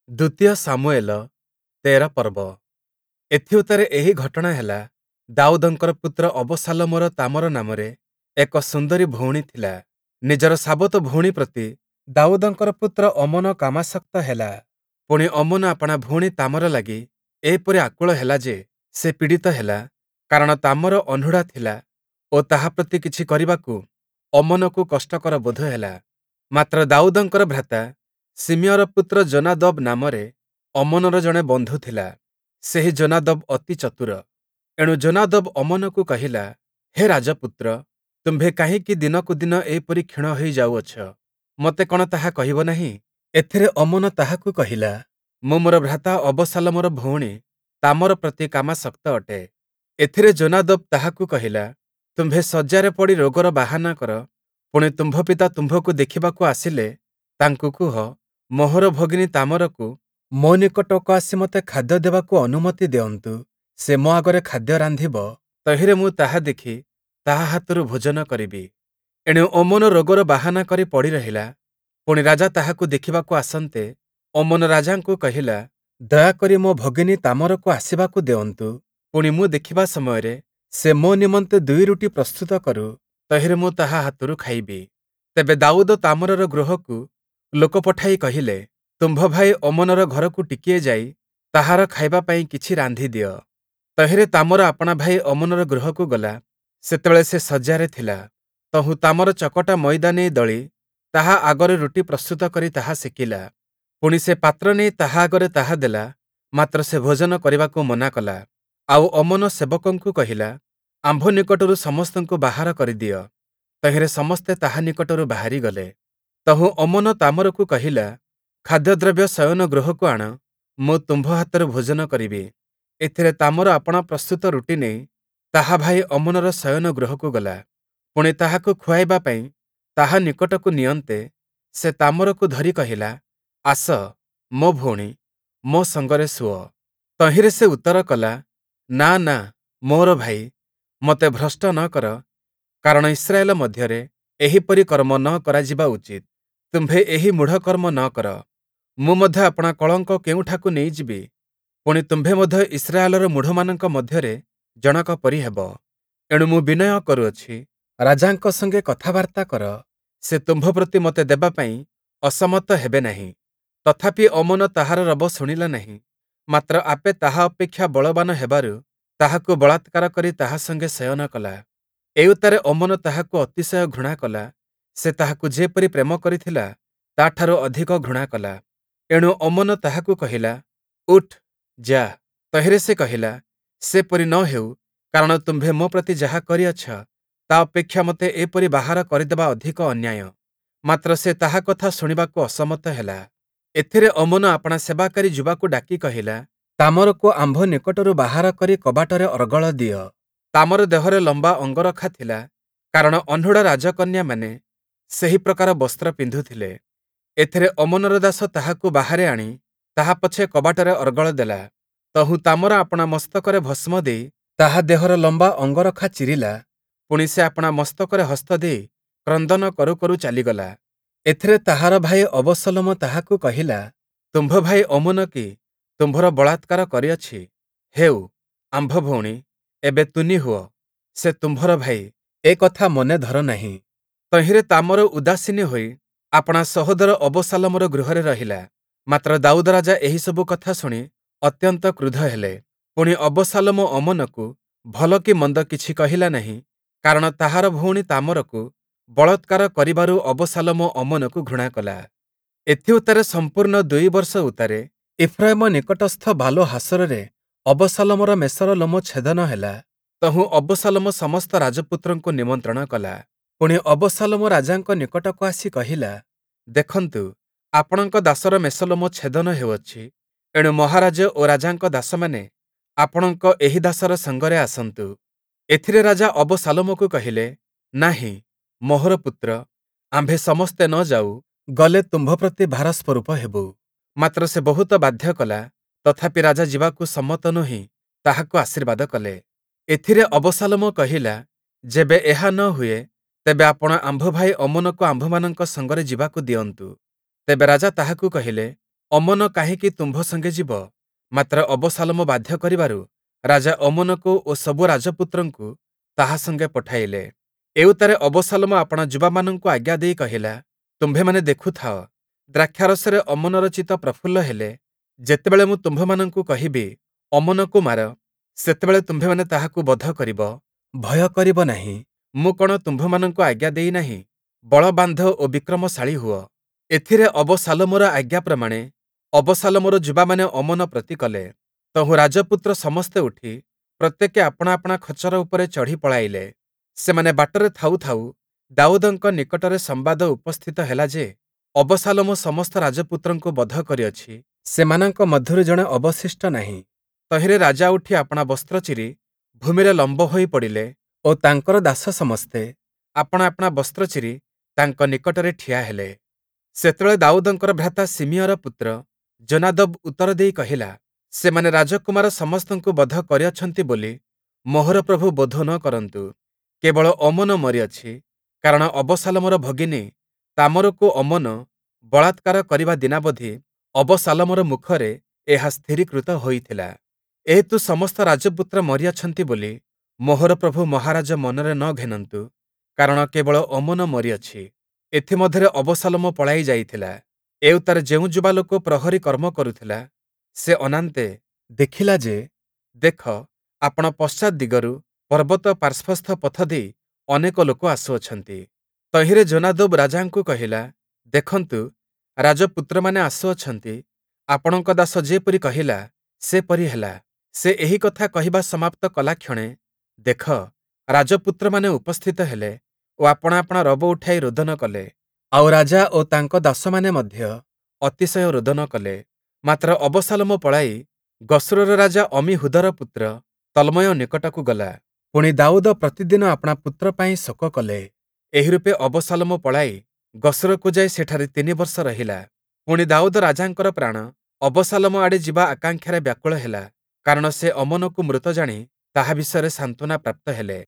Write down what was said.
ଦ୍ଵିତୀୟ ଶାମୁୟେଲ ୧୩ ପର୍ବ। ଏଥିଉତ୍ତାରେ ଏହି ଘଟଣା ହେଲା, ଦାଉଦଙ୍କର ପୁତ୍ର ଅବଶାଲୋମର ତାମର ନାମରେ ଏକ ସୁନ୍ଦରୀ ଭଉଣୀ ଥିଲା। ନିଜର ସାବତ ଭଉଣୀ ପ୍ରତି ଦାଉଦଙ୍କର ପୁତ୍ର ଅମ୍ନୋନ କାମାସକ୍ତ ହେଲା। ପୁଣି ଅମ୍ନୋନ ଆପଣା ଭଉଣୀ ତାମର ଲାଗି ଏପରି ଆକୁଳ ହେଲା ଯେ, ସେ ପୀଡ଼ିତ ହେଲା, କାରଣ ତାମର ଅନୂଢ଼ା ଥିଲା ଓ ତାହା ପ୍ରତି କିଛି କରିବାକୁ ଅମ୍ନୋନକୁ କଷ୍ଟକର ବୋଧ ହେଲା। ମାତ୍ର ଦାଉଦଙ୍କର ଭ୍ରାତା ଶିମିୟର ପୁତ୍ର ଯୋନାଦବ୍ ନାମରେ ଅମ୍ନୋନର ଜଣେ ବନ୍ଧୁ ଥିଲା। ସେହି ଯୋନାଦବ୍ ଅତି ଚତୁର। ଏଣୁ ଯୋନାଦବ୍ ଅମ୍ନୋନକୁ କହିଲା, ହେ ରାଜପୁତ୍ର, ତୁମ୍ଭେ କାହିଁକି ଦିନକୁ ଦିନ ଏପରି କ୍ଷୀଣ ହୋଇ ଯାଉଅଛ? ମୋତେ କଣ ତାହା କହିବ ନାହିଁ? ଏଥିରେ ଅମ୍ନୋନ ତାହାକୁ କହିଲା, ମୁଁ ମୋର ଭ୍ରାତା ଅବଶାଲୋମର ଭଉଣୀ ତାମର ପ୍ରତି କାମାସକ୍ତ ଅଟେ। ଏଥିରେ ଯୋନାଦବ୍ ତାହାକୁ କହିଲା, ତୁମ୍ଭେ ଶଯ୍ୟାରେ ପଡ଼ି ରୋଗର ବାହାନା କର, ପୁଣି ତୁମ୍ଭ ପିତା ତୁମ୍ଭକୁ ଦେଖିବାକୁ ଆସିଲେ ତାଙ୍କୁ କୁହ, ମୋହର ଭଗିନୀ ତାମରକୁ ମୋ ନିକଟକୁ ଆସି ମୋତେ ଖାଦ୍ୟ ଦେବାକୁ ଅନୁମତି ଦେଅନ୍ତୁ, ସେ ମୋ ଆଗରେ ଖାଦ୍ୟ ରାନ୍ଧିବ, ତହିଁରେ ମୁଁ ତାହା ଦେଖି ତାହା ହାତରୁ ଭୋଜନ କରିବି। ଏଣୁ ଅମ୍ନୋନ ରୋଗର ବାହାନା କରି ପଡ଼ି ରହିଲା। ପୁଣି ରାଜା ତାହାକୁ ଦେଖିବାକୁ ଆସନ୍ତେ, ଅମ୍ନୋନ ରାଜାଙ୍କୁ କହିଲା, ଦୟାକରି ମୋ ଭଗିନୀ ତାମରକୁ ଆସିବାକୁ ଦେଅନ୍ତୁ, ପୁଣି ମୁଁ ଦେଖିବା ସମୟରେ ସେ ମୋ ନିମନ୍ତେ ଦୁଇ ରୁଟି ପ୍ରସ୍ତୁତ କରୁ, ତହିଁରେ ମୁଁ ତାହା ହାତରୁ ଖାଇବି। ତେବେ ଦାଉଦ ତାମରର ଗୃହକୁ ଲୋକ ପଠାଇ କହିଲେ, ତୁମ୍ଭ ଭାଇ ଅମ୍ନୋନର ଘରକୁ ଟିକିଏ ଯାଇ ତାହାର ଖାଇବା ପାଇଁ କିଛି ରାନ୍ଧି ଦିଅ। ତହିଁରେ ତାମର ଆପଣା ଭାଇ ଅମ୍ନୋନର ଗୃହକୁ ଗଲା, ସେତେବେଳେ ସେ ଶଯ୍ୟାରେ ଥିଲା। ତହୁଁ ତାମର ଚକଟା ମଇଦା ନେଇ ଦଳି ତାହା ଆଗରେ ରୁଟି ପ୍ରସ୍ତୁତ କରି ତାହା ସେକିଲା। ପୁଣି ସେ ପାତ୍ର ନେଇ ତାହା ଆଗରେ ତାହା ଦେଲା, ମାତ୍ର ସେ ଭୋଜନ କରିବାକୁ ମନା କଲା। ଆଉ ଅମ୍ନୋନ ସେବକଙ୍କୁ କହିଲା, ଆମ୍ଭ ନିକଟରୁ ସମସ୍ତଙ୍କୁ ବାହାର କରିଦିଅ। ତହିଁରେ ସମସ୍ତେ ତାହା ନିକଟରୁ ବାହାରି ଗଲେ। ତହୁଁ ଅମ୍ନୋନ ତାମରକୁ କହିଲା, ଖାଦ୍ୟଦ୍ରବ୍ୟ ଶୟନ ଗୃହକୁ ଆଣ, ମୁଁ ତୁମ୍ଭ ହାତରୁ ଭୋଜନ କରିବି। ଏଥିରେ ତାମର ଆପଣା ପ୍ରସ୍ତୁତ ରୁଟି ନେଇ ତାହା ଭାଇ ଅମ୍ନୋନର ଶୟନ ଗୃହକୁ ଗଲା। ପୁଣି ତାହାକୁ ଖୁଆଇବା ପାଇଁ ତାହା ନିକଟକୁ ନିଅନ୍ତେ ସେ ତାମରକୁ ଧରି କହିଲା, ଆସ, ମୋ ଭଉଣୀ, ମୋ ସଙ୍ଗରେ ଶୁଅ। ତହିଁରେ ସେ ଉତ୍ତର କଲା, ନା, ନା, ମୋର ଭାଇ, ମୋତେ ଭ୍ରଷ୍ଟ ନ କର, କାରଣ ଇସ୍ରାଏଲ ମଧ୍ୟରେ ଏହିପରି କର୍ମ ନ କରାଯିବା ଉଚିତ୍। ତୁମ୍ଭେ ଏହି ମୂଢ଼ କର୍ମ ନ କର। ମୁଁ ମଧ୍ୟ ଆପଣା କଳଙ୍କ କେଉଁଠାକୁ ନେଇଯିବି? ପୁଣି ତୁମ୍ଭେ ମଧ୍ୟ ଇସ୍ରାଏଲର ମୂଢ଼ମାନଙ୍କ ମଧ୍ୟରେ ଜଣକ ପରି ହେବ। ଏଣୁ ମୁଁ ବିନୟ କରୁଅଛି, ରାଜାଙ୍କ ସଙ୍ଗେ କଥାବାର୍ତ୍ତା କର, ସେ ତୁମ୍ଭ ପ୍ରତି ମୋତେ ଦେବା ପାଇଁ ଅସମତ ହେବେ ନାହିଁ। ତଥାପି ଅମ୍ନୋନ ତାହାର ରବ ଶୁଣିଲା ନାହିଁ, ମାତ୍ର ଆପେ ତାହା ଅପେକ୍ଷା ବଳବାନ ହେବାରୁ ତାହାକୁ ବଳାତ୍କାର କରି ତାହା ସଙ୍ଗେ ଶୟନ କଲା। ଏଉତ୍ତାରେ ଅମ୍ନୋନ ତାହାକୁ ଅତିଶୟ ଘୃଣା କଲା, ସେ ତାହାକୁ ଯେପରି ପ୍ରେମ କରିଥିଲା, ତା'ଠାରୁ ଅଧିକ ଘୃଣା କଲା। ଏଣୁ ଅମ୍ନୋନ ତାହାକୁ କହିଲା, ଉଠ୍, ଯା। ତହିଁରେ ସେ କହିଲା, ସେପରି ନ ହେଉ, କାରଣ ତୁମ୍ଭେ ମୋ ପ୍ରତି ଯାହା କରିଅଛ, ତା ଅପେକ୍ଷା ମୋତେ ଏପରି ବାହାର କରିଦେବା ଅଧିକ ଅନ୍ୟାୟ। ମାତ୍ର ସେ ତାହା କଥା ଶୁଣିବାକୁ ଅସମତ ହେଲା। ଏଥିରେ ଅମ୍ନୋନ ଆପଣା ସେବାକାରୀ ଯୁବାକୁ ଡାକି କହିଲା, ତାମରକୁ ଆମ୍ଭ ନିକଟରୁ ବାହାର କରି କବାଟରେ ଅର୍ଗଳ ଦିଅ। ତାମର ଦେହରେ ଲମ୍ବା ଅଙ୍ଗରଖା ଥିଲା, କାରଣ ଅନୂଢ଼ା ରାଜକନ୍ୟାମାନେ ସେହି ପ୍ରକାର ବସ୍ତ୍ର ପିନ୍ଧୁଥିଲେ। ଏଥିରେ ଅମ୍ନୋନର ଦାସ ତାହାକୁ ବାହାରେ ଆଣି ତାହା ପଛେ କବାଟରେ ଅର୍ଗଳ ଦେଲା। ତହୁଁ ତାମର ଆପଣା ମସ୍ତକରେ ଭସ୍ମ ଦେଇ ତାହା ଦେହର ଲମ୍ବା ଅଙ୍ଗରଖା ଚିରିଲା, ପୁଣି ସେ ଆପଣା ମସ୍ତକରେ ହସ୍ତ ଦେଇ କ୍ରନ୍ଦନ କରୁ କରୁ ଚାଲିଗଲା। ଏଥିରେ ତାହାର ଭାଇ ଅବଶଲୋମ ତାହାକୁ କହିଲା, ତୁମ୍ଭ ଭାଇ ଅମ୍ନୋନ କି ତୁମ୍ଭର ବଳାତ୍କାର କରିଅଛି? ହେଉ, ଆମ୍ଭ ଭଉଣୀ, ଏବେ ତୁନି ହୁଅ, ସେ ତୁମ୍ଭର ଭାଇ, ଏ କଥା ମନେ ଧର ନାହିଁ। ତହିଁରେ ତାମର ଉଦାସୀନୀ ହୋଇ ଆପଣା ସହୋଦର ଅବଶାଲୋମର ଗୃହରେ ରହିଲା। ମାତ୍ର ଦାଉଦ ରାଜା ଏହିସବୁ କଥା ଶୁଣି ଅତ୍ୟନ୍ତ କ୍ରୁଦ୍ଧ ହେଲେ। ପୁଣି ଅବଶାଲୋମ ଅମ୍ନୋନକୁ ଭଲ କି ମନ୍ଦ କିଛି କହିଲା ନାହିଁ, କାରଣ ତାହାର ଭଉଣୀ ତାମରକୁ ବଳାତ୍କାର କରିବାରୁ ଅବଶାଲୋମ ଅମ୍ନୋନକୁ ଘୃଣା କଲା। ଏଥିଉତ୍ତାରେ ସମ୍ପୂର୍ଣ୍ଣ ଦୁଇ ବର୍ଷ ଉତ୍ତାରେ ଇଫ୍ରାଇମ ନିକଟସ୍ଥ ବାଲହାସୋରରେ ଅବଶାଲୋମର ମେଷର ଲୋମ ଛେଦନ ହେଲା। ତହୁଁ ଅବଶାଲୋମ ସମସ୍ତ ରାଜପୁତ୍ରଙ୍କୁ ନିମନ୍ତ୍ରଣ କଲା। ପୁଣି ଅବଶାଲୋମ ରାଜାଙ୍କ ନିକଟକୁ ଆସି କହିଲା, ଦେଖନ୍ତୁ, ଆପଣଙ୍କ ଦାସର ମେଷଲୋମ ଛେଦନ ହେଉଅଛି। ଏଣୁ ମହାରାଜ ଓ ରାଜାଙ୍କ ଦାସମାନେ ଆପଣଙ୍କ ଏହି ଦାସର ସଙ୍ଗରେ ଆସନ୍ତୁ। ଏଥିରେ ରାଜା ଅବଶାଲୋମକୁ କହିଲେ, ନାହିଁ, ମୋହର ପୁତ୍ର, ଆମ୍ଭେ ସମସ୍ତେ ନ ଯାଉ, ଗଲେ ତୁମ୍ଭ ପ୍ରତି ଭାର ସ୍ୱରୂପ ହେବୁ। ମାତ୍ର ସେ ବହୁତ ବାଧ୍ୟ କଲା, ତଥାପି ରାଜା ଯିବାକୁ ସମ୍ମତ ନୋହି ତାହାକୁ ଆଶୀର୍ବାଦ କଲେ। ଏଥିରେ ଅବଶାଲୋମ କହିଲା, ଯେବେ ଏହା ନ ହୁଏ, ତେବେ ଆପଣ ଆମ୍ଭ ଭାଇ ଅମ୍ନୋନକୁ ଆମ୍ଭମାନଙ୍କ ସଙ୍ଗରେ ଯିବାକୁ ଦିଅନ୍ତୁ। ତେବେ ରାଜା ତାହାକୁ କହିଲେ, ଅମ୍ନୋନ କାହିଁକି ତୁମ୍ଭ ସଙ୍ଗେ ଯିବ? ମାତ୍ର ଅବଶାଲୋମ ବାଧ୍ୟ କରିବାରୁ ରାଜା ଅମ୍ନୋନକୁ ଓ ସବୁ ରାଜପୁତ୍ରଙ୍କୁ ତାହା ସଙ୍ଗେ ପଠାଇଲେ। ଏଉତ୍ତାରେ ଅବଶାଲୋମ ଆପଣା ଯୁବାମାନଙ୍କୁ ଆଜ୍ଞା ଦେଇ କହିଲା, ତୁମ୍ଭେମାନେ ଦେଖୁଥାଅ, ଦ୍ରାକ୍ଷାରସରେ ଅମ୍ନୋନର ଚିତ୍ତ ପ୍ରଫୁଲ୍ଲ ହେଲେ, ଯେତେବେଳେ ମୁଁ ତୁମ୍ଭମାନଙ୍କୁ କହିବି, ଅମ୍ନୋନକୁ ମାର, ସେତେବେଳେ ତୁମ୍ଭେମାନେ ତାହାକୁ ବଧ କରିବ, ଭୟ କରିବ ନାହିଁ। ମୁଁ କଣ ତୁମ୍ଭମାନଙ୍କୁ ଆଜ୍ଞା ଦେଇ ନାହିଁ? ବଳ ବାନ୍ଧ ଓ ବିକ୍ରମଶାଳୀ ହୁଅ। ଏଥିରେ ଅବଶାଲୋମର ଆଜ୍ଞା ପ୍ରମାଣେ ଅବଶାଲୋମର ଯୁବାମାନେ ଅମ୍ନୋନ ପ୍ରତି କଲେ। ତହୁଁ ରାଜପୁତ୍ର ସମସ୍ତେ ଉଠି ପ୍ରତ୍ୟେକେ ଆପଣା ଆପଣା ଖଚ୍ଚର ଉପରେ ଚଢ଼ି ପଳାଇଲେ। ସେମାନେ ବାଟରେ ଥାଉ ଥାଉ ଦାଉଦଙ୍କ ନିକଟରେ ସମ୍ବାଦ ଉପସ୍ଥିତ ହେଲା ଯେ, ଅବଶାଲୋମ ସମସ୍ତ ରାଜପୁତ୍ରଙ୍କୁ ବଧ କରିଅଛି, ସେମାନଙ୍କ ମଧ୍ୟରୁ ଜଣେ ଅବଶିଷ୍ଟ ନାହିଁ। ତହିଁରେ ରାଜା ଉଠି ଆପଣା ବସ୍ତ୍ର ଚିରି ଭୂମିରେ ଲମ୍ବ ହୋଇ ପଡ଼ିଲେ ଓ ତାଙ୍କର ଦାସ ସମସ୍ତେ ଆପଣା ଆପଣା ବସ୍ତ୍ର ଚିରି ତାଙ୍କ ନିକଟରେ ଠିଆ ହେଲେ। ସେତେବେଳେ ଦାଉଦଙ୍କର ଭ୍ରାତା ଶିମିୟର ପୁତ୍ର ଯୋନାଦବ୍ ଉତ୍ତର ଦେଇ କହିଲା, ସେମାନେ ରାଜକୁମାର ସମସ୍ତଙ୍କୁ ବଧ କରିଅଛନ୍ତି ବୋଲି ମୋହର ପ୍ରଭୁ ବୋଧ ନ କରନ୍ତୁ, କେବଳ ଅମ୍ନୋନ ମରିଅଛି, କାରଣ ଅବଶାଲୋମର ଭଗିନୀ ତାମରକୁ ଅମ୍ନୋନ ବଳାତ୍କାର କରିବା ଦିନାବଧି ଅବଶାଲୋମର ମୁଖରେ ଏହା ସ୍ଥିରୀକୃତ ହୋଇଥିଲା। ଏହେତୁ ସମସ୍ତ ରାଜପୁତ୍ର ମରିଅଛନ୍ତି ବୋଲି ମୋହର ପ୍ରଭୁ ମହାରାଜ ମନରେ ନ ଘେନନ୍ତୁ, କାରଣ କେବଳ ଅମ୍ନୋନ ମରିଅଛି। ଏଥିମଧ୍ୟରେ ଅବଶାଲୋମ ପଳାଇ ଯାଇଥିଲା। ଏଉତ୍ତାରେ ଯେଉଁ ଯୁବାଲୋକ ପ୍ରହରୀ କର୍ମ କରୁଥିଲା, ସେ ଅନାନ୍ତେ ଦେଖିଲା ଯେ, ଦେଖ, ଆପଣା ପଶ୍ଚାତ୍ ଦିଗରୁ ପର୍ବତ ପାର୍ଶ୍ୱସ୍ଥ ପଥ ଦେଇ ଅନେକ ଲୋକ ଆସୁଅଛନ୍ତି। ତହିଁରେ ଯୋନାଦବ୍ ରାଜାଙ୍କୁ କହିଲା, ଦେଖନ୍ତୁ, ରାଜପୁତ୍ରମାନେ ଆସୁଅଛନ୍ତି, ଆପଣଙ୍କ ଦାସ ଯେପରି କହିଲା, ସେପରି ହେଲା। ସେ ଏହି କଥା କହିବା ସମାପ୍ତ କଲାକ୍ଷଣେ, ଦେଖ, ରାଜପୁତ୍ରମାନେ ଉପସ୍ଥିତ ହେଲେ ଓ ଆପଣା ଆପଣା ରବ ଉଠାଇ ରୋଦନ କଲେ। ଆଉ ରାଜା ଓ ତାଙ୍କ ଦାସମାନେ ମଧ୍ୟ ଅତିଶୟ ରୋଦନ କଲେ। ମାତ୍ର ଅବଶାଲୋମ ପଳାଇ ଗଶୂରର ରାଜା ଅମ୍ମୀହୂଦର ପୁତ୍ର ତଲ୍ମୟ ନିକଟକୁ ଗଲା। ପୁଣି ଦାଉଦ ପ୍ରତିଦିନ ଆପଣା ପୁତ୍ର ପାଇଁ ଶୋକ କଲେ। ଏହିରୂପେ ଅବଶାଲୋମ ପଳାଇ ଗଶୂରକୁ ଯାଇ ସେଠାରେ ତିନି ବର୍ଷ ରହିଲା। ପୁଣି ଦାଉଦ ରାଜାଙ୍କର ପ୍ରାଣ ଅବଶାଲୋମ ଆଡ଼େ ଯିବା ଆକାଂକ୍ଷାରେ ବ୍ୟାକୁଳ ହେଲା, କାରଣ ସେ ଅମ୍ନୋନକୁ ମୃତ ଜାଣି ତାହା ବିଷୟରେ ସାନ୍ତ୍ୱନା ପ୍ରାପ୍ତ ହେଲେ।